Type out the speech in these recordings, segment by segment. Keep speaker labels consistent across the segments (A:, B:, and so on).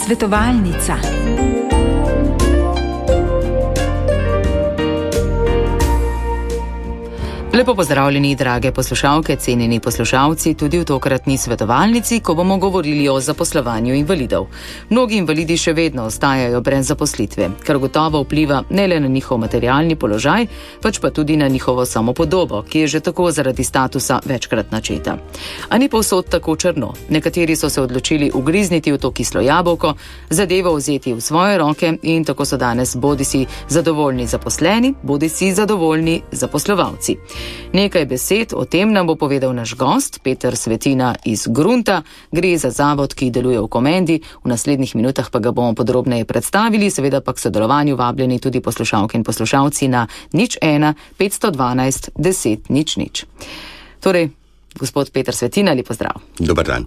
A: Svetovalnica. Lepo pozdravljeni, drage poslušalke, cenjeni poslušalci, tudi v tokratni svetovalnici, ko bomo govorili o zaposlovanju invalidov. Mnogi invalidi še vedno ostajajo brez zaposlitve, kar gotovo vpliva ne le na njihov materialni položaj, pač pa tudi na njihovo samopodobo, ki je že tako zaradi statusa večkrat načeta. A ni povsod tako črno. Nekateri so se odločili ugrizniti v to kislo jabolko, zadevo vzeti v svoje roke in tako so danes bodisi zadovoljni zaposleni, bodisi zadovoljni zaposlovalci. Nekaj besed o tem nam bo povedal naš gost, Peter Svetina iz Grunta. Gre za zavod, ki deluje v Komendi. V naslednjih minutah pa ga bomo podrobneje predstavili, seveda pa k sodelovanju vabljeni tudi poslušalke in poslušalci na 01 512 10 00. Torej, gospod Peter Svetina, lep pozdrav.
B: Dobar dan.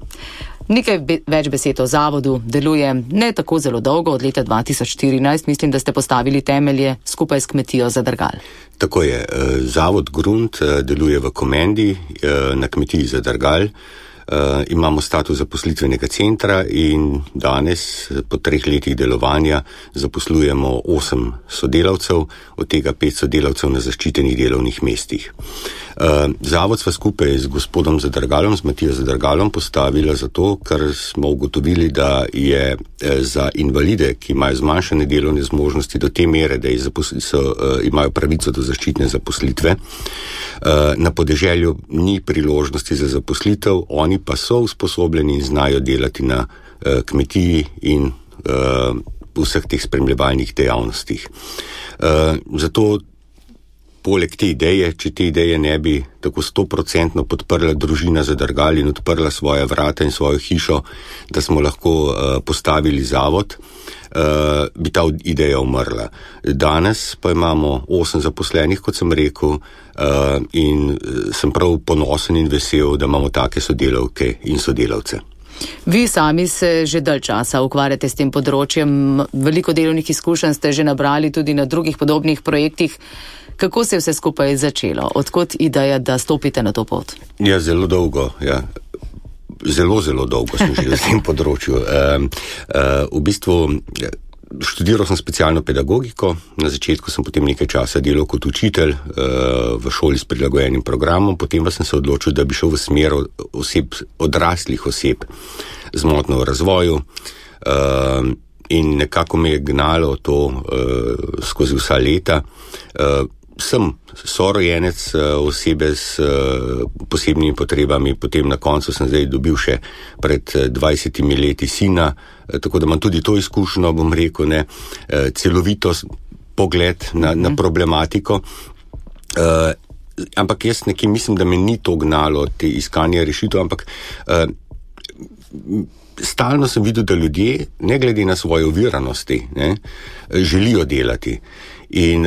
A: Nekaj več besed o zavodu. Deluje ne tako zelo dolgo, od leta 2014, mislim, da ste postavili temelje skupaj s kmetijo Zadrgal.
B: Tako je. Zavod Grunt deluje v Komendi na kmetiji Zadrgal. Imamo status zaposlitvenega centra in danes, po 3 letih delovanja, zaposlujemo 8 sodelavcev, od tega 5 sodelavcev na zaščitenih delovnih mestih. Zavod sva skupaj z gospodom Zadrgalom, z Matijo Zadrgalom, postavila zato, ker smo ugotovili, da je za invalide, ki imajo zmanjšane delovne zmožnosti do te mere, da imajo pravico do zaščitne zaposlitve, na podeželju ni priložnosti za zaposlitev, oni pa so usposobljeni in znajo delati na kmetiji in vseh teh spremljevalnih dejavnostih. Zato poleg te ideje, če te ideje ne bi tako 100% podprla družina Zadrgal in odprla svoja vrata in svojo hišo, da smo lahko postavili zavod, bi ta ideja umrla. Danes pa imamo 8 zaposlenih, kot sem rekel, in sem prav ponosen in vesel, da imamo take sodelavke in sodelavce.
A: Vi sami se že dalj časa ukvarjate s tem področjem, veliko delovnih izkušenj ste že nabrali tudi na drugih podobnih projektih. Kako se je vse skupaj začelo? Odkot ideja, da stopite na to pot?
B: Ja, zelo dolgo, ja. Zelo dolgo sem že v tem področju. V bistvu študiral sem specialno pedagogiko, na začetku sem potem nekaj časa delal kot učitelj v šoli s prilagojenim programom, potem pa sem se odločil, da bi šel v smer odraslih oseb z motnjo v razvoju in nekako me je gnalo to skozi vsa leta. Sem sorojenec osebe s posebnimi potrebami, potem na koncu sem zdaj dobil še pred 20 leti sina, tako da imam tudi to izkušnjo, bom rekel, celovito pogled na problematiko. Ampak jaz nekje mislim, da me ni to gnalo te iskanja rešitev, ampak stalno sem videl, da ljudje, ne glede na svoje oviranosti, želijo delati. In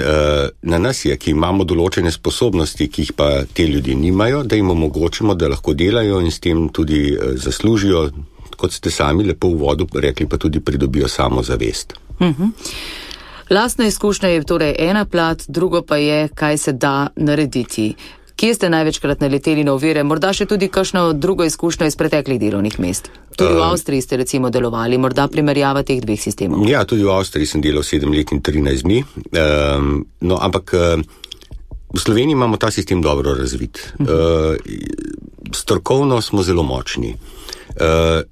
B: na nas je, ki imamo določene sposobnosti, ki jih pa te ljudi nimajo, da jim omogočimo, da lahko delajo in s tem tudi zaslužijo, kot ste sami lepo v uvodu rekli, pa tudi pridobijo samozavest.
A: Lastna izkušnja je torej ena plat, drugo pa je, kaj se da narediti. Kje ste največkrat naleteli na ovire? Morda še tudi kakšno drugo izkušnjo iz preteklih delovnih mest? Tudi v Avstriji ste recimo delovali, morda primerjava teh dveh sistemov.
B: Ja, tudi v Avstriji sem delal 7 let in 13 dni. No, ampak v Sloveniji imamo ta sistem dobro razvit. Strokovno smo zelo močni,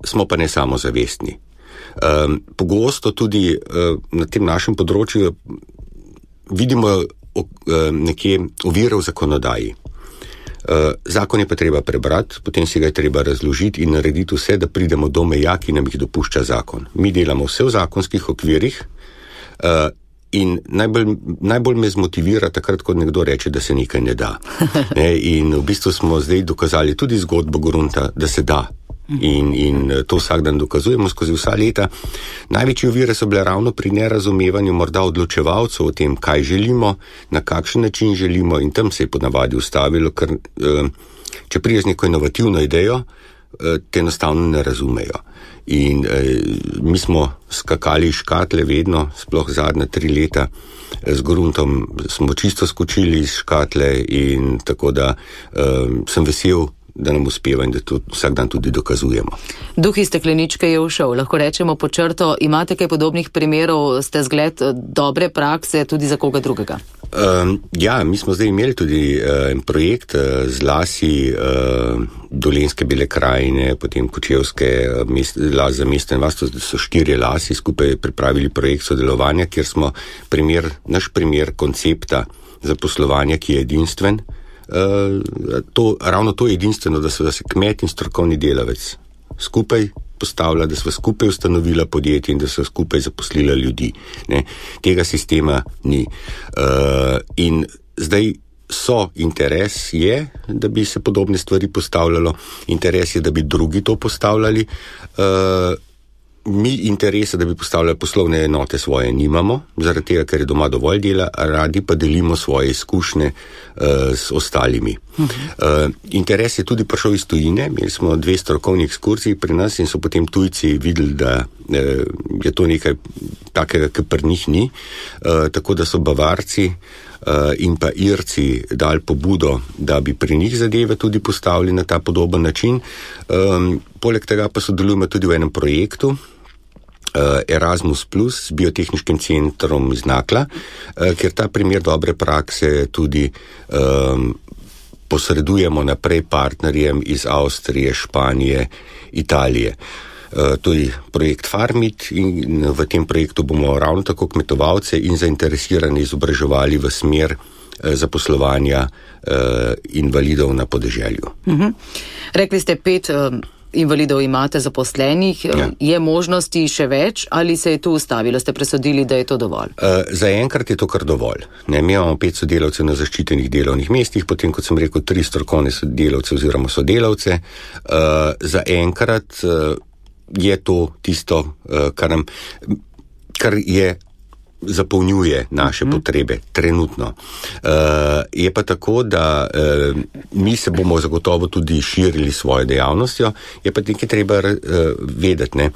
B: smo pa ne samozavestni. Pogosto tudi na tem našem področju vidimo nekje ovire v zakonodaji. Zakon je pa treba prebrati, potem si ga je treba razložiti in narediti vse, da pridemo do meja, ki nam jih dopušča zakon. Mi delamo vse v zakonskih okvirih in najbolj me zmotivira takrat, ko nekdo reče, da se nekaj ne da. In v bistvu smo zdaj dokazali tudi zgodbo Grunta, da se da. In to vsak dan dokazujemo skozi vsa leta. Največje ovire so bile ravno pri nerazumevanju morda odločevalcev o tem, kaj želimo, na kakšen način želimo, in tam se je ponavadi ustavilo, ker če prideš neko inovativno idejo, te enostavno ne razumejo. In mi smo skakali iz škatle vedno, sploh zadnja 3 leta, z Gruntom smo čisto skočili iz škatle in tako da sem vesel, da nam uspeva in da to vsak dan tudi dokazujemo.
A: Duh iz stekleničke je ušel, lahko rečemo pod črto. Imate kaj podobnih primerov, ste zgled dobre prakse tudi za koga drugega?
B: Ja, mi smo zdaj imeli tudi en projekt z lasi Dolenjske Bele krajine, potem Kočevske las za mesto in vas, to so 4 lasi, skupaj pripravili projekt sodelovanja, kjer smo naš primer koncepta zaposlovanja, ki je edinstven. Ravno to je edinstveno, da se kmet in strokovni delavec skupaj postavlja, da smo skupaj ustanovila podjetje in da so skupaj zaposlila ljudi. Ne? Tega sistema ni. In zdaj interes je, da bi se podobne stvari postavljalo, interes je, da bi drugi to postavljali. Mi interesa, da bi postavljali poslovne enote svoje, nimamo, zaradi tega, ker je doma dovolj dela, radi pa delimo svoje izkušnje s ostalimi. Interes je tudi prišel iz tujine, imeli smo 2 strokovni ekskurziji pri nas in so potem tujci videli, da je to nekaj takega, kar pri njih ni, tako da so Bavarci in pa Irci dali pobudo, da bi pri njih zadeve tudi postavili na ta podoben način. Poleg tega pa sodelujemo tudi v enem projektu Erasmus Plus s biotehniškim centrom iz Nakla, kjer ta primer dobre prakse tudi posredujemo naprej partnerjem iz Avstrije, Španije, Italije. To je projekt Farmit in v tem projektu bomo ravno tako kmetovalce in zainteresirane izobraževali v smer zaposlovanja invalidov na podeželju.
A: Rekli ste 5 invalidov imate zaposlenih, ja. Je možnosti še več ali se je to ustavilo? Ste presodili, da je to dovolj?
B: Zaenkrat je to kar dovolj. Mi imamo 5 sodelavcev na zaščitenih delovnih mestih, potem, kot sem rekel, 3 strokovne sodelavce oziroma sodelavce. Zaenkrat je to tisto, kar je zapolnjuje naše potrebe trenutno. Je pa tako, da mi se bomo zagotovo tudi širili svojo dejavnostjo, je pa nekaj treba vedeti, ne?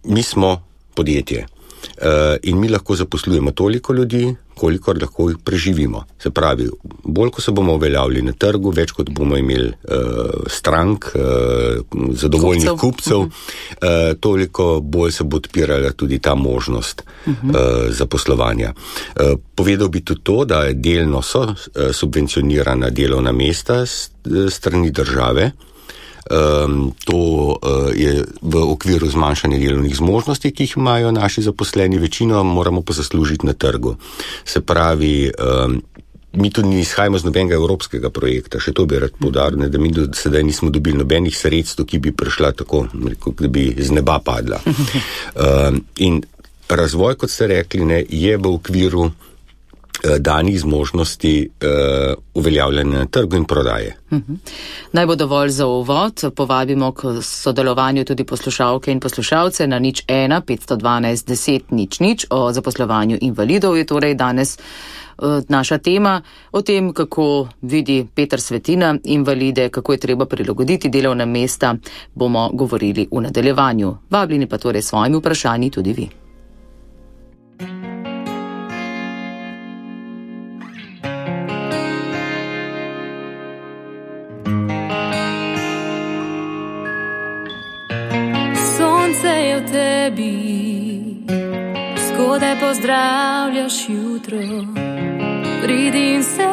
B: Mi smo podjetje in mi lahko zaposlujemo toliko ljudi, kolikor lahko preživimo. Se pravi, bolj ko se bomo uveljavili na trgu, več kot bomo imeli strank, zadovoljnih kupcev, toliko bolj se bo odpirala tudi ta možnost zaposlovanja. Povedal bi tudi to, da delno so subvencionirana delovna mesta strani države. To je v okviru zmanjšanja delovnih zmožnosti, ki jih imajo naši zaposleni, večino moramo pa zaslužiti na trgu. Se pravi, mi tudi ne izhajamo z nobenega evropskega projekta, še to bi rad poudaril, da mi do sedaj nismo dobili nobenih sredstev, ki bi prišla tako, da bi z neba padla. In razvoj, kot ste rekli, je v okviru danih zmožnosti uveljavljanja na trgu in prodaje.
A: Naj bo dovolj za uvod. Povabimo k sodelovanju tudi poslušalke in poslušalce na 01 512 10 00 o zaposlovanju invalidov. Je torej danes naša tema o tem, kako vidi Peter Svetina invalide, kako je treba prilagoditi delovna mesta, bomo govorili v nadaljevanju. Vabljeni pa torej svojimi vprašanji tudi vi.
C: Zgodaj pozdravljaš jutro, pridi in se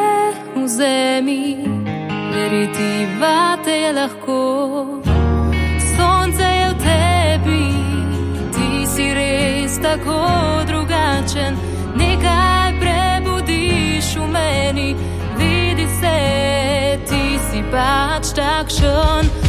C: vzemi, veriti vate je lahko. Sonce je v tebi, ti si res tako drugačen, nekaj prebudiš v meni, vidi se, ti si pač takšen.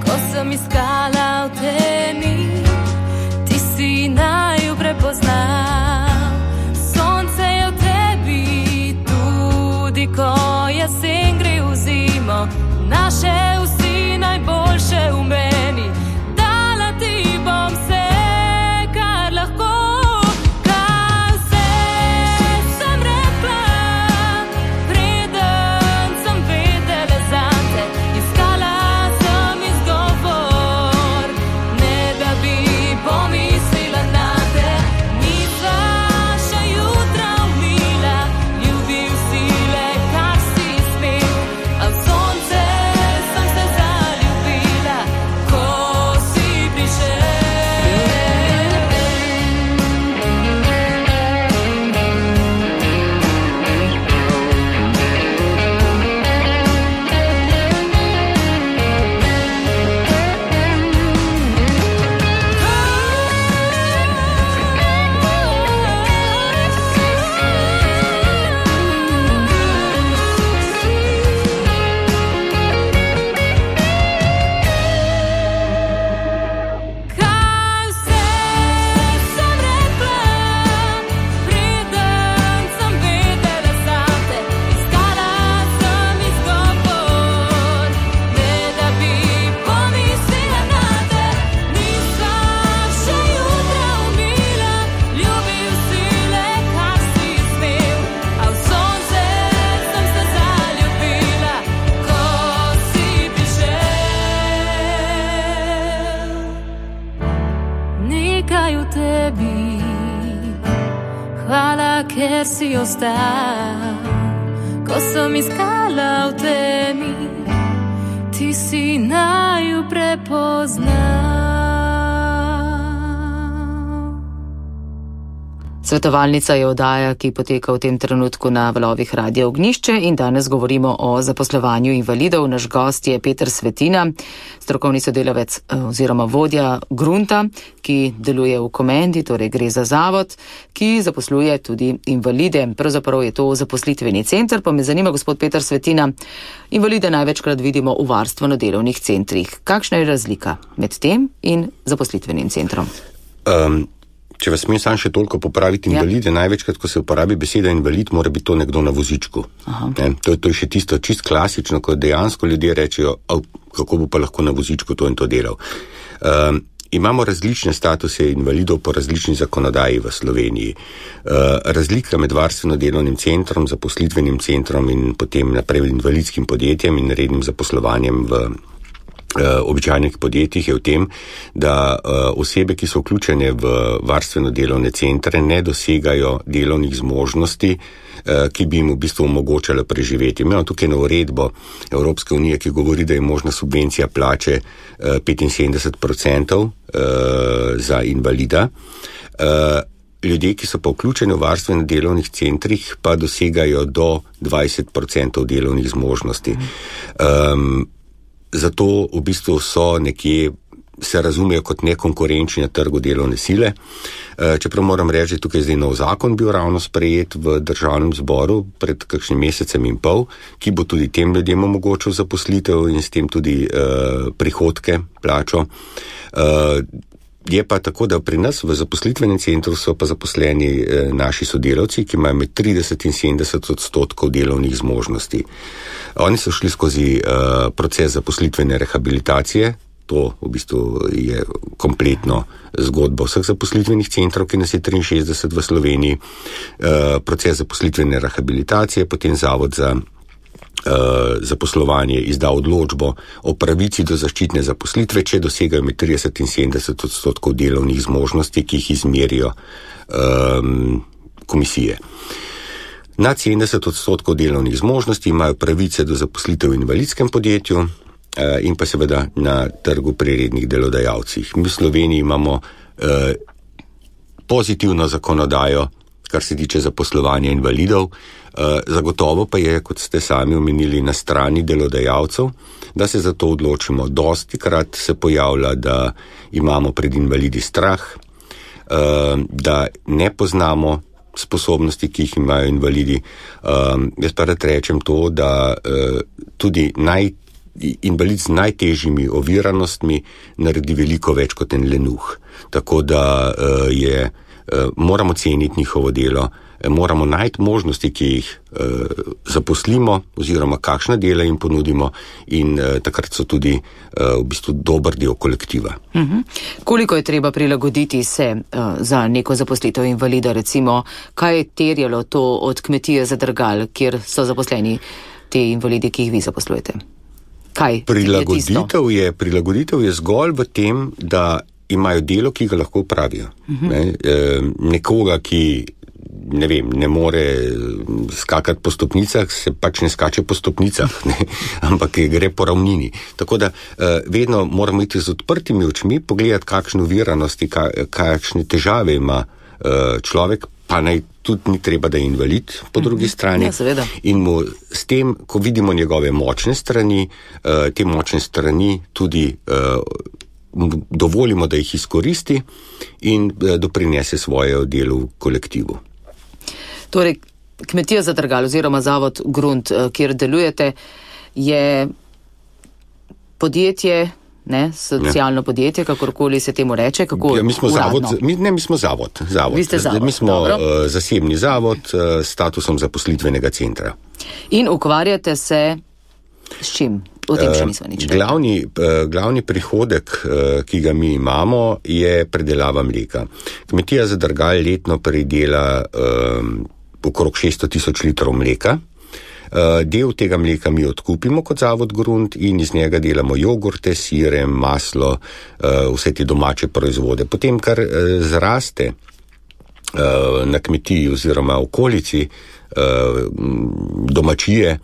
C: Ko sem iskala v temi, ti si naju prepoznal. naše vsi najboljše v meni. Dala ti bom vse, kar lahko. Kaj vse sem rekla, preden sem vedela zate. Iskala sem izgovor, ne da bi pomislila nate. Nisva še jutra umila, ljubil si le, kar si smel. A v sonce sem se zaljubila, ko si prišel. Kaj vse sem rekla, preden sem vedela zate. Iskala sem izgovor, ne da bi pomislila nate. Nisva še jutra umila, ljubil si le, kar si smel. A v sonce sem se zaljubila, ko si prišel. Nekaj v tebi, hvala, ker si ostal. Ko sem iskala v temi, ti si naju prepoznal.
A: Svetovalnica je oddaja, ki poteka v tem trenutku na valovih Radia Ognjišče in danes govorimo o zaposlovanju invalidov. Naš gost je Peter Svetina, strokovni sodelavec oziroma vodja Grunta, ki deluje v Komendi, torej gre za zavod, ki zaposluje tudi invalide. Pravzaprav je to zaposlitveni center, pa me zanima, gospod Peter Svetina, invalide največkrat vidimo v varstveno-delovnih centrih. Kakšna je razlika med tem in zaposlitvenim centrom?
B: Če vas smem sam še toliko popraviti, invalide, največkrat, ko se uporabi beseda invalid, mora biti to nekdo na vozičku. To je še tisto čist klasično, ko dejansko ljudje rečejo, kako bo pa lahko na vozičku to in to delal. Imamo različne statuse invalidov po različni zakonodaji v Sloveniji. Razlika med varstveno-delovnim centrom, zaposlitvenim centrom in potem naprej invalidskim podjetjem in rednim zaposlovanjem v običajnih podjetjih je v tem, da osebe, ki so vključene v varstveno-delovne centre, ne dosegajo delovnih zmožnosti, ki bi jim v bistvu omogočala preživeti. Imamo tukaj na uredbo Evropske unije, ki govori, da je možna subvencija plače 75% za invalida. Ljudje, ki so pa vključeni v varstveno-delovnih centrih, pa dosegajo do 20% delovnih zmožnosti. Zato v bistvu so nekje, se razumejo kot nekonkurenčni na trgu delovne sile. Čeprav moram reči, da tukaj zdaj nov zakon bil ravno sprejet v državnem zboru pred kakšnim mesecem in pol, ki bo tudi tem ljudem omogočil zaposlitev in s tem tudi prihodke, plačo. Je pa tako, da pri nas v zaposlitvenem centru so pa zaposleni naši sodelavci, ki imajo med 30 in 70% delovnih zmožnosti. Oni so šli skozi proces zaposlitvene rehabilitacije, to v bistvu je kompletno zgodba vseh zaposlitvenih centrov, ki nas je 63 v Sloveniji, proces zaposlitvene rehabilitacije, potem Zavod za zaposlovanje izda odločbo o pravici do zaščitne zaposlitve, če dosegajo med 30 in 70% delovnih zmožnosti, ki jih izmerijo komisije. Nad 70% delovnih zmožnosti imajo pravice do zaposlitev v invalidskem podjetju in pa seveda na trgu pri rednih delodajalcih. Mi v Sloveniji imamo pozitivno zakonodajo, kar se tiče zaposlovanja invalidov. Zagotovo pa je, kot ste sami omenili, na strani delodajalcev, da se za to odločimo. Dostikrat se pojavlja, da imamo pred invalidi strah, da ne poznamo sposobnosti, ki jih imajo invalidi. Jaz pa rad rečem to, da tudi invalid z najtežjimi oviranostmi naredi veliko več kot en lenuh. Tako da moramo ceniti njihovo delo, moramo najti možnosti, ki jih zaposlimo oziroma kakšna dela jim ponudimo in takrat so tudi v bistvu dober del kolektiva.
A: Koliko je treba prilagoditi se za neko zaposlitev invalida, recimo, kaj je terjalo to od kmetije Zadrgal, kjer so zaposleni te invalidi, ki jih vi zaposlujete? Kaj
B: Prilagoditev je zgolj v tem, da imajo delo, ki ga lahko opravijo. Nekoga, ki ne more skakati po stopnicah, se pač ne skače po stopnicah, ampak gre po ravnini. Tako da vedno moramo iti z odprtimi očmi, pogledati, kakšne oviranosti, kakšne težave ima človek, pa naj tudi ni treba, da je invalid po drugi strani.
A: Ja,
B: in mu s tem, ko vidimo njegove močne strani, te močne strani tudi dovolimo, da jih izkoristi in doprinese svoje delo v kolektivu.
A: Torej, kmetija Zadrgal oziroma zavod Grunt, kjer delujete, je podjetje, socialno podjetje, kakorkoli se temu reče, kako
B: mi smo
A: uradno?
B: Mi smo zavod.
A: Vi ste zavod.
B: Mi smo zasebni zavod s statusom zaposlitvenega centra.
A: In ukvarjate se s čim? O tem še nismo nič rekli.
B: Glavni prihodek, ki ga mi imamo, je predelava mleka. Kmetija Zadrgal letno pridela okrog 600,000 litrov mleka. Del tega mleka mi odkupimo kot zavod Grunt in iz njega delamo jogurte, sire, maslo, vse te domače proizvode. Potem, kar zraste na kmetiji oziroma okolici, domačije,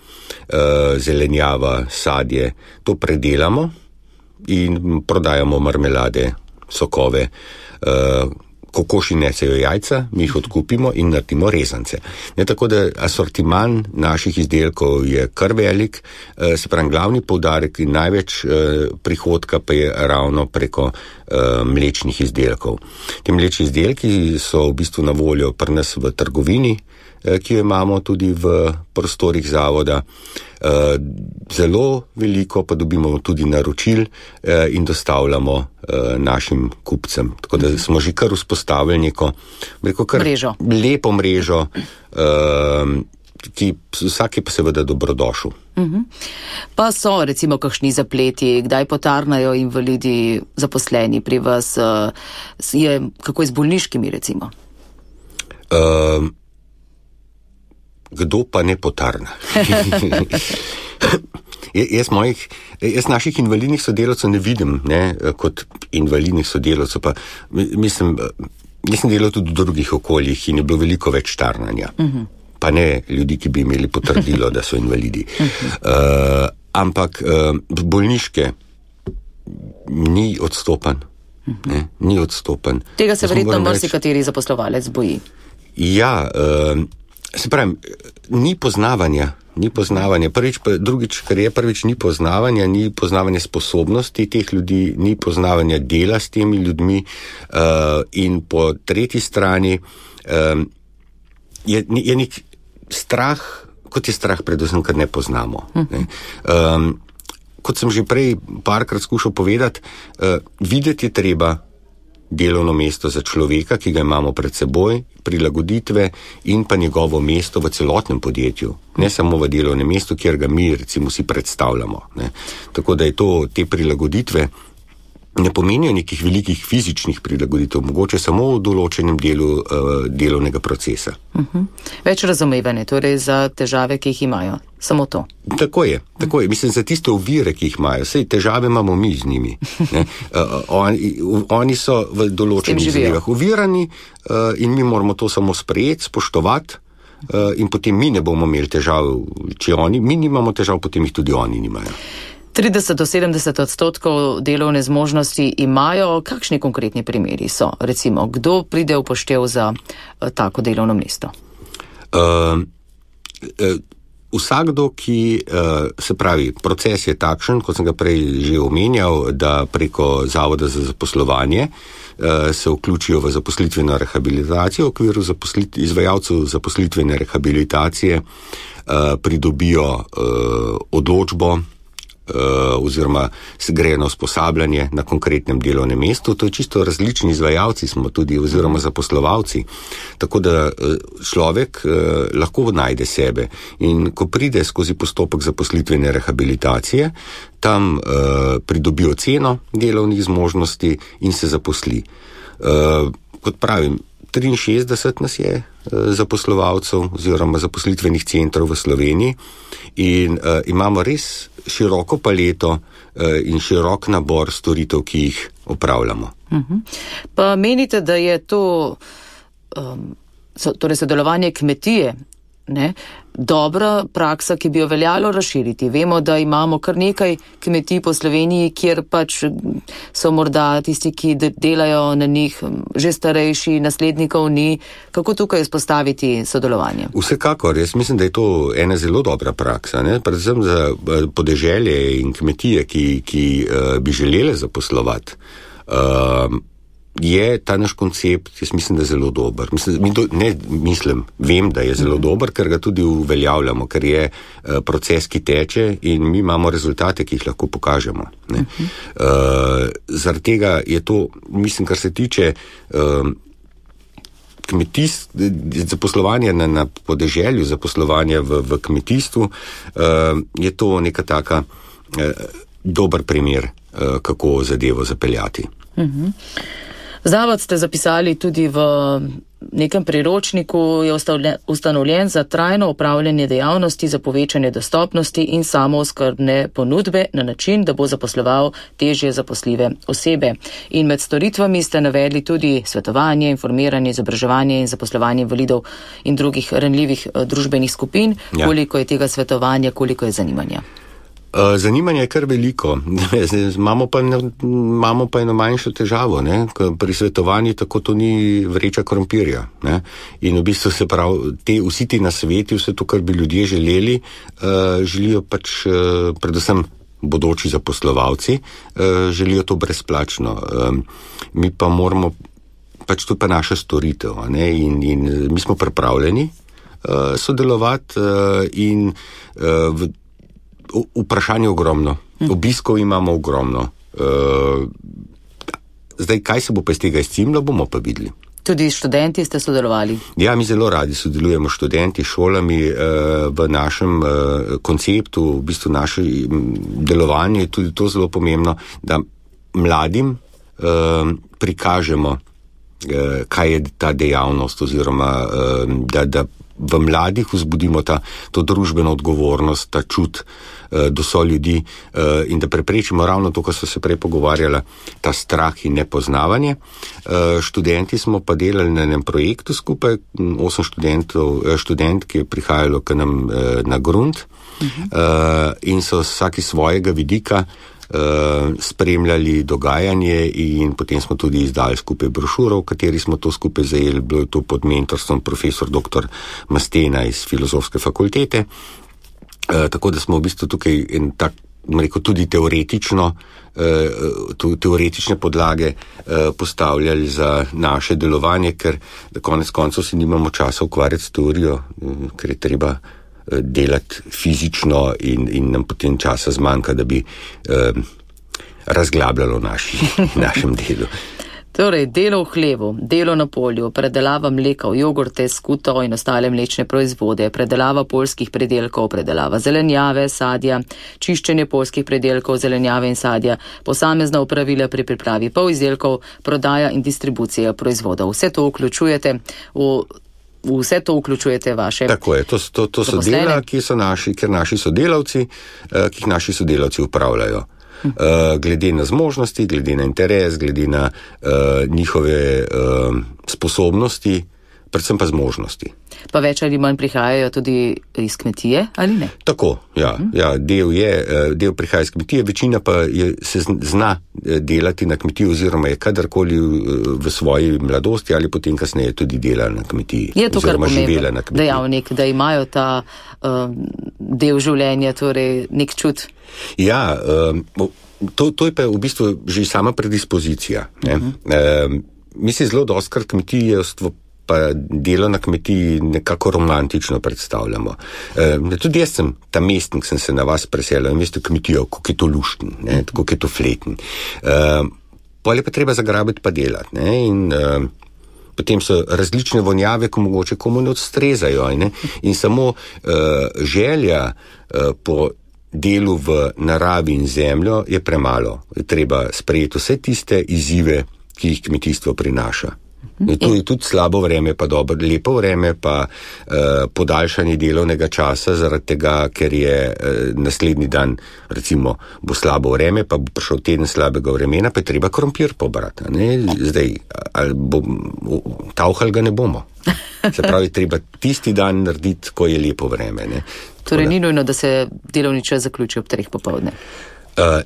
B: zelenjava, sadje, to predelamo in prodajamo marmelade, sokove, kokoši nesejo jajca, mi jih odkupimo in naredimo rezance. Tako da asortiman naših izdelkov je kar velik, se pravi glavni poudarek in največ prihodka pa je ravno preko mlečnih izdelkov. Te mlečni izdelki so v bistvu na voljo pri nas v trgovini, ki jo imamo tudi v prostorih zavoda. Zelo veliko pa dobimo tudi naročil in dostavljamo našim kupcem. Tako da smo že kar vzpostavili neko lepo mrežo, ki vsak je pa seveda dobrodošel.
A: Pa so recimo kakšni zapleti, kdaj potarnajo invalidi zaposleni pri vas, kako je z bolniškimi recimo? Kdo pa ne potarna? Jaz naših invalidnih sodelavcev ne vidim kot invalidnih sodelavcev, pa mislim, jaz sem delal tudi v drugih okoljih in je bilo veliko več tarnanja. Pa ne ljudi, ki bi imeli potrdilo, da so invalidi. Ampak bolniške ni odstopan. Ni odstopan. Tega se verjetno marsikateri zaposlovalec boji.
B: Ja, se pravi, ni poznavanja. Drugič, kar je prvič, ni poznavanja sposobnosti teh ljudi, ni poznavanja dela s temi ljudmi in po tretji strani je nek strah, kot je strah predvsem, ker ne poznamo. Kot sem že prej parkrat skušal povedati, videti je treba delovno mesto za človeka, ki ga imamo pred seboj, prilagoditve in pa njegovo mesto v celotnem podjetju, ne samo v delovnem mestu, kjer ga mi recimo si predstavljamo. Tako da je te prilagoditve ne pomenijo nekih velikih fizičnih prilagoditev, mogoče samo v določenem delu delovnega procesa.
A: Več razumevanje, torej za težave, ki jih imajo. Samo to.
B: Tako je. Mislim, za tiste ovire, ki jih imajo. Sej težave imamo mi z njimi. Oni so v določenih zadevah ovirani in mi moramo to samo sprejeti, spoštovati in potem mi ne bomo imeli težav, če mi nimamo težav, potem jih tudi oni nimajo.
A: 30 do 70% delovne zmožnosti imajo. Kakšni konkretni primeri so? Recimo, kdo pride v poštev za tako delovno mesto?
B: Vsakdo, ki, se pravi, proces je takšen, kot sem ga prej že omenjal, da preko Zavoda za zaposlovanje se vključijo v zaposlitveno rehabilitacijo, v okviru izvajalcev zaposlitvene rehabilitacije pridobijo odločbo oziroma se grejo na usposabljanje na konkretnem delovnem mestu. To je čisto različni izvajalci smo tudi oziroma zaposlovalci. Tako da človek lahko najde sebe in ko pride skozi postopek zaposlitvene rehabilitacije, tam pridobi oceno delovnih zmožnosti in se zaposli. Kot pravim, 63 nas je zaposlovalcev oziroma zaposlitvenih centrov v Sloveniji in imamo res široko paleto in širok nabor storitev, ki jih opravljamo.
A: Pa menite, da je to torej sodelovanje kmetije, dobra praksa, ki bi jo veljalo razširiti. Vemo, da imamo kar nekaj kmetij po Sloveniji, kjer pač so morda tisti, ki delajo na njih, že starejši, naslednikov ni. Kako tukaj izpostaviti sodelovanje?
B: Vsekakor, jaz mislim, da je to ena zelo dobra praksa, predvsem za podeželje in kmetije, ki bi želele zaposlovati. Je ta naš koncept, jaz mislim, da je zelo dober. Vem, da je zelo dober, ker ga tudi uveljavljamo, ker je proces, ki teče in mi imamo rezultate, ki jih lahko pokažemo. Zaradi tega je to, mislim, kar se tiče zaposlovanja na podeželju, zaposlovanja v kmetijstvu, je to neka taka dober primer, kako zadevo zapeljati.
A: Zavod ste zapisali tudi v nekem priročniku, je ustanovljen za trajno upravljanje dejavnosti za povečanje dostopnosti in samooskrbne ponudbe na način, da bo zaposloval težje zaposljive osebe. In med storitvami ste navedli tudi svetovanje, informiranje, izobraževanje in zaposlovanje invalidov in drugih ranljivih družbenih skupin. Ja. Koliko je tega svetovanja, koliko je zanimanja?
B: Zanimanje je kar veliko. Imamo pa eno manjšo težavo. Pri svetovanju tako to ni vreča krompirja. In v bistvu se pravi, vsi ti nasveti, vse to, kar bi ljudje želeli, želijo pač predvsem bodoči zaposlovalci, želijo to brezplačno. Mi pa moramo, pač to pa naša storitev. In mi smo pripravljeni sodelovati in vprašanje ogromno. Obiskov imamo ogromno. Zdaj, kaj se bo pa iz tega izcimlo, bomo pa videli.
A: Tudi študenti ste sodelovali?
B: Ja, mi zelo radi sodelujemo študenti, šolami v našem konceptu, v bistvu naše delovanje je tudi to zelo pomembno, da mladim prikažemo, kaj je ta dejavnost oziroma da v mladih vzbudimo to družbeno odgovornost, ta čut do soljudi in da preprečimo ravno to, kar so se prej pogovarjala, ta strah in nepoznavanje. Študenti smo pa delali na enem projektu skupaj, 8 študentk je prihajalo k nam na grunt in so vsaki svojega vidika spremljali dogajanje in potem smo tudi izdali skupaj brošuro, v kateri smo to skupaj zajeli, bilo je to pod mentorstvom profesor dr. Mastena iz Filozofske fakultete, tako da smo v bistvu tukaj tudi teoretične podlage postavljali za naše delovanje, ker konec koncev si nimamo časa ukvarjati s teorijo, ker je treba delati fizično in nam potem časa zmanjka, da bi razglabljalo našem delu.
A: Torej, delo v hlevu, delo na polju, predelava mleka, jogurte, skuto in ostale mlečne proizvode, predelava poljskih predelkov, predelava zelenjave, sadja, čiščenje poljskih predelkov, zelenjave in sadja, posamezna opravila pri pripravi polizdelkov, prodaja in distribucija proizvodov. Vse to vključujete vaše.
B: Tako je, to so dela, ki jih naši sodelavci upravljajo. Glede na zmožnosti, glede na interes, glede na njihove sposobnosti, predvsem pa zmožnosti.
A: Pa več ali manj prihajajo tudi iz kmetije, ali ne?
B: Tako, ja. Del prihaja iz kmetije, večina pa se zna delati na kmetiji oziroma je kadarkoli v svoji mladosti ali potem kasneje tudi delala na kmetiji.
A: Je to kar pomemben dejavnik, da imajo ta del življenja, torej nek čut?
B: Ja, to je pa v bistvu že sama predispozicija. Mi se zelo dostkrat kmetijstvo pa delo na kmetiji nekako romantično predstavljamo. Tudi jaz sem ta mestnik, sem se na vas preselil in veste kmetijo, kako je to lušten, kako je to fleten. Potem je pa treba zagrabiti pa delati. In potem so različne vonjave, ko mogoče komu ne odstrezajo. In samo želja po delu v naravi in zemljo je premalo. Je treba sprejeti vse tiste izzive, ki jih kmetijstvo prinaša. In tu je tudi slabo vreme, pa dobro, lepo vreme, pa podaljšanje delovnega časa, zaradi tega, ker je naslednji dan, recimo, bo slabo vreme, pa bo prišel teden slabega vremena, pa je treba krompir pobrati. Zdaj, tavhal ga ne bomo. Se pravi, treba tisti dan narediti, ko je lepo vreme.
A: Torej, ni nujno, da se delovni čas zaključi ob 3 popoldne.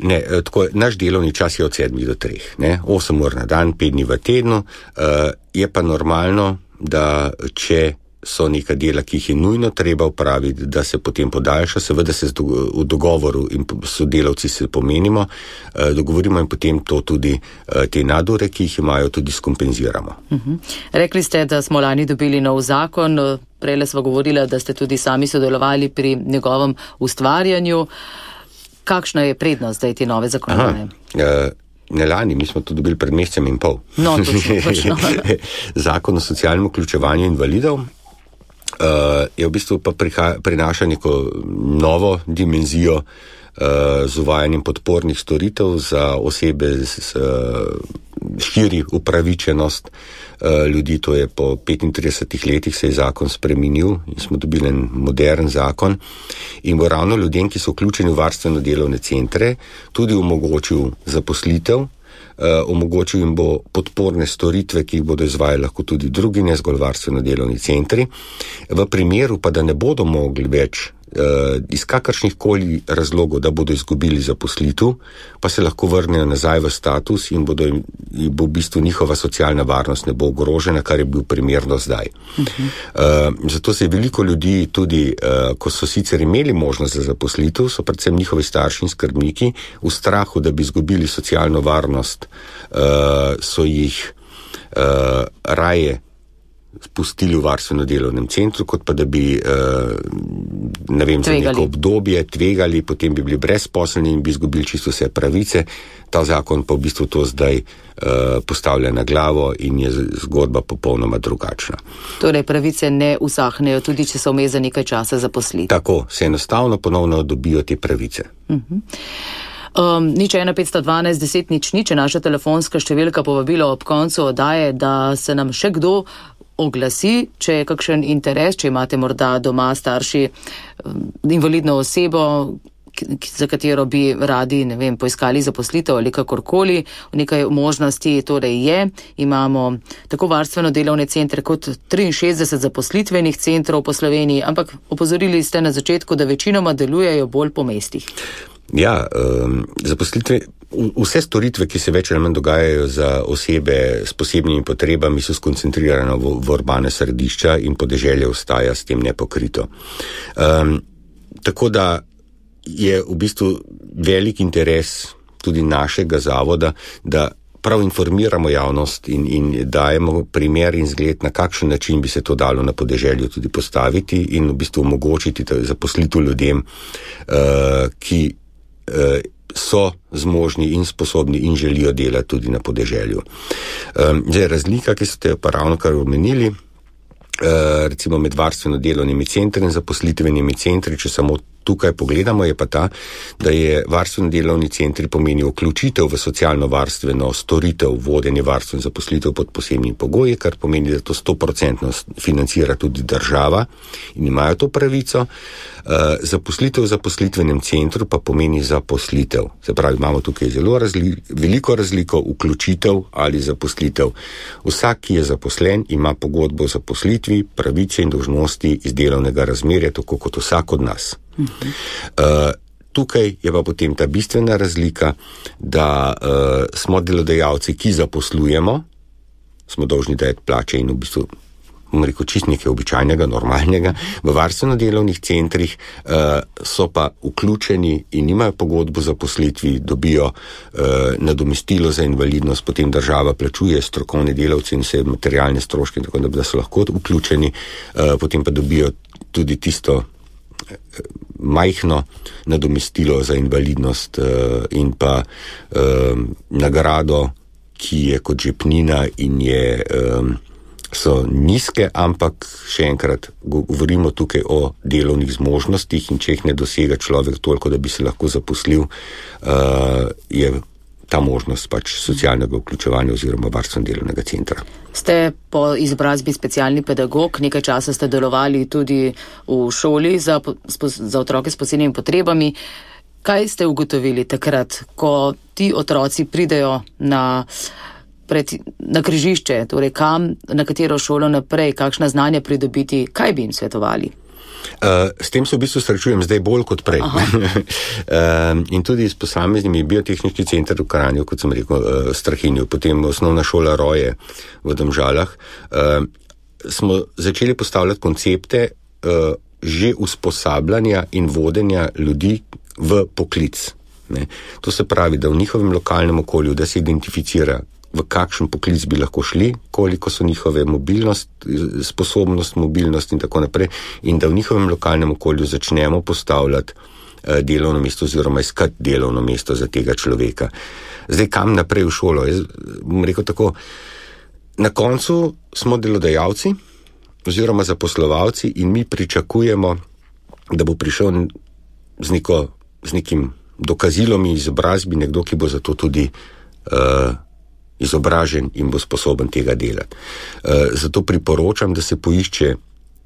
B: Ne, tako, naš delovni čas je od 7 do 3, 8 ur na dan, 5 dni v tednu, je pa normalno, da če so neka dela, ki jih je nujno treba upraviti, da se potem podaljša, seveda se v dogovoru in sodelavci se pomenimo, dogovorimo in potem to tudi te nadure, ki jih imajo, tudi skompenziramo.
A: Rekli ste, da smo lani dobili nov zakon, prejle sva govorila, da ste tudi sami sodelovali pri njegovem ustvarjanju. Kakšna je prednost zdaj te nove zakonodaje?
B: Ne lani, mi smo to dobili pred mesecem in pol.
A: No, točno.
B: Zakon o socialnem vključevanju invalidov je v bistvu pa prinaša neko novo dimenzijo z uvajanjem podpornih storitev za osebe širi upravičenost ljudi, to je po 35 letih se je zakon spremenil in smo dobili en modern zakon in bo ravno ljudem, ki so vključeni v varstveno delovne centre, tudi omogočil zaposlitev, omogočil jim bo podporne storitve, ki jih bodo izvajali lahko tudi drugi, ne zgolj varstveno delovni centri. V primeru pa, da ne bodo mogli več iz kakršnih koli razlogov, da bodo izgubili zaposlitev, pa se lahko vrnejo nazaj v status in bo v bistvu njihova socialna varnost ne bo ogrožena, kar je bil primerno zdaj. Zato se je veliko ljudi tudi, ko so sicer imeli možnost za zaposlitev, so predvsem njihovi starši in skrbniki v strahu, da bi izgubili socialno varnost, so jih raje spustili v varstveno delovnem centru, kot pa da bi za neko obdobje tvegali, potem bi bili brezposelni in bi izgubili čisto vse pravice. Ta zakon pa v bistvu to zdaj postavlja na glavo in je zgodba popolnoma drugačna.
A: Torej pravice ne usahnejo, tudi če so vmes za nekaj časa zaposliti.
B: Tako, se enostavno ponovno dobijo te pravice.
A: Nič 1-512 10 0 je naša telefonska številka, povabilo ob koncu oddaje, da se nam še kdo oglasi, če je kakšen interes, če imate morda doma starši invalidno osebo, za katero bi radi, poiskali zaposlitev ali kakorkoli. Nekaj možnosti torej je. Imamo tako varstveno delovne centre kot 63 zaposlitvenih centrov po Sloveniji, ampak opozorili ste na začetku, da večinoma delujejo bolj po mestih.
B: Ja, zaposlitve, vse storitve, ki se več ali manj dogajajo za osebe s posebnimi potrebami, so skoncentrirane v urbane središča in podeželje ostaja s tem nepokrito. Tako da je v bistvu velik interes tudi našega zavoda, da prav informiramo javnost in dajemo primer in zgled, na kakšen način bi se to dalo na podeželju tudi postaviti in v bistvu omogočiti zaposlitev ljudem, ki so zmožni in sposobni in želijo delati tudi na podeželju. Zdaj, razlika, ki ste pa ravno kar omenili, recimo med varstveno delovnimi centri in zaposlitvenimi centri, če samo tukaj pogledamo, je pa ta, da je varstveno delovni centri pomeni vključitev v socialno-varstveno storitev, vodenje varstva in zaposlitev pod posebnimi pogoji, kar pomeni, da to 100% financira tudi država in imajo to pravico. Zaposlitev v zaposlitvenem centru pa pomeni zaposlitev. Se pravi, imamo tukaj zelo veliko razliko, vključitev ali zaposlitev. Vsak, ki je zaposlen, ima pogodbo o zaposlitvi, pravice in dolžnosti iz delovnega razmerja, tako kot vsak od nas. Tukaj je pa potem ta bistvena razlika, da smo delodajalci, ki zaposlujemo, smo dolžni dajati plače in v bistvu čist nekaj običajnega, normalnega. V varstveno-delovnih centrih so pa vključeni in nimajo pogodbo za zaposlitvi, dobijo nadomestilo za invalidnost, potem država plačuje strokovne delavce in vse materialne stroške, tako da so lahko vključeni, potem pa dobijo tudi tisto majhno nadomestilo za invalidnost in pa nagrado, ki je kot žepnina in so nizke, ampak še enkrat govorimo tukaj o delovnih zmožnostih in če jih ne dosega človek toliko, da bi se lahko zaposlil, je ta možnost pač socialnega vključevanja oziroma varstveno-delovnega centra.
A: Ste po izobrazbi specialni pedagog, nekaj časa ste delovali tudi v šoli za otroke s posebnimi potrebami. Kaj ste ugotovili takrat, ko ti otroci pridejo na križišče, torej kam, na katero šolo naprej, kakšna znanja pridobiti, kaj bi jim svetovali?
B: S tem se v bistvu srečujem zdaj bolj kot prej. In tudi s posameznimi biotehnični center v Kranju, kot sem rekel, Strahinju, potem osnovna šola Roje v Domžalah, smo začeli postavljati koncepte že usposabljanja in vodenja ljudi v poklic. To se pravi, da v njihovem lokalnem okolju, da se identificira, v kakšen poklic bi lahko šli, koliko so njihove sposobnost, mobilnost in tako naprej, in da v njihovem lokalnem okolju začnemo postavljati delovno mesto oziroma iskati delovno mesto za tega človeka. Zdaj, kam naprej v šolo? Jaz bom rekel tako, na koncu smo delodajalci oziroma zaposlovalci in mi pričakujemo, da bo prišel z nekim dokazilom in izobrazbi nekdo, ki bo za to tudi izobražen in bo sposoben tega delati. Zato priporočam, da se poišče,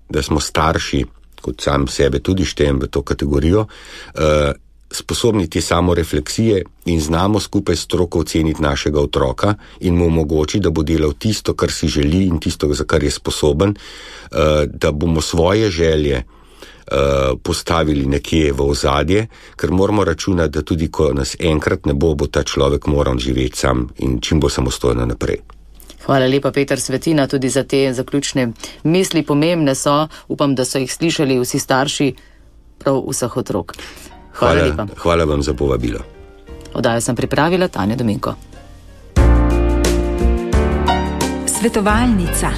B: da smo starši, kot sam sebe tudi štejem v to kategorijo, sposobni te samorefleksije in znamo skupaj s stroko oceniti našega otroka in mu omogočiti, da bo delal tisto, kar si želi in tisto, za kar je sposoben, da bomo svoje želje postavili nekje v ozadje, ker moramo računati, da tudi ko nas enkrat ne bo ta človek moral živeti sam in čim bo samostojno naprej.
A: Hvala lepa, Peter Svetina, tudi za te zaključne misli. Pomembne so, upam, da so jih slišali vsi starši prav vseh otrok. Hvala lepa.
B: Hvala vam za povabilo.
A: Oddajo sem pripravila Tanja Dominko.
D: Svetovalnica.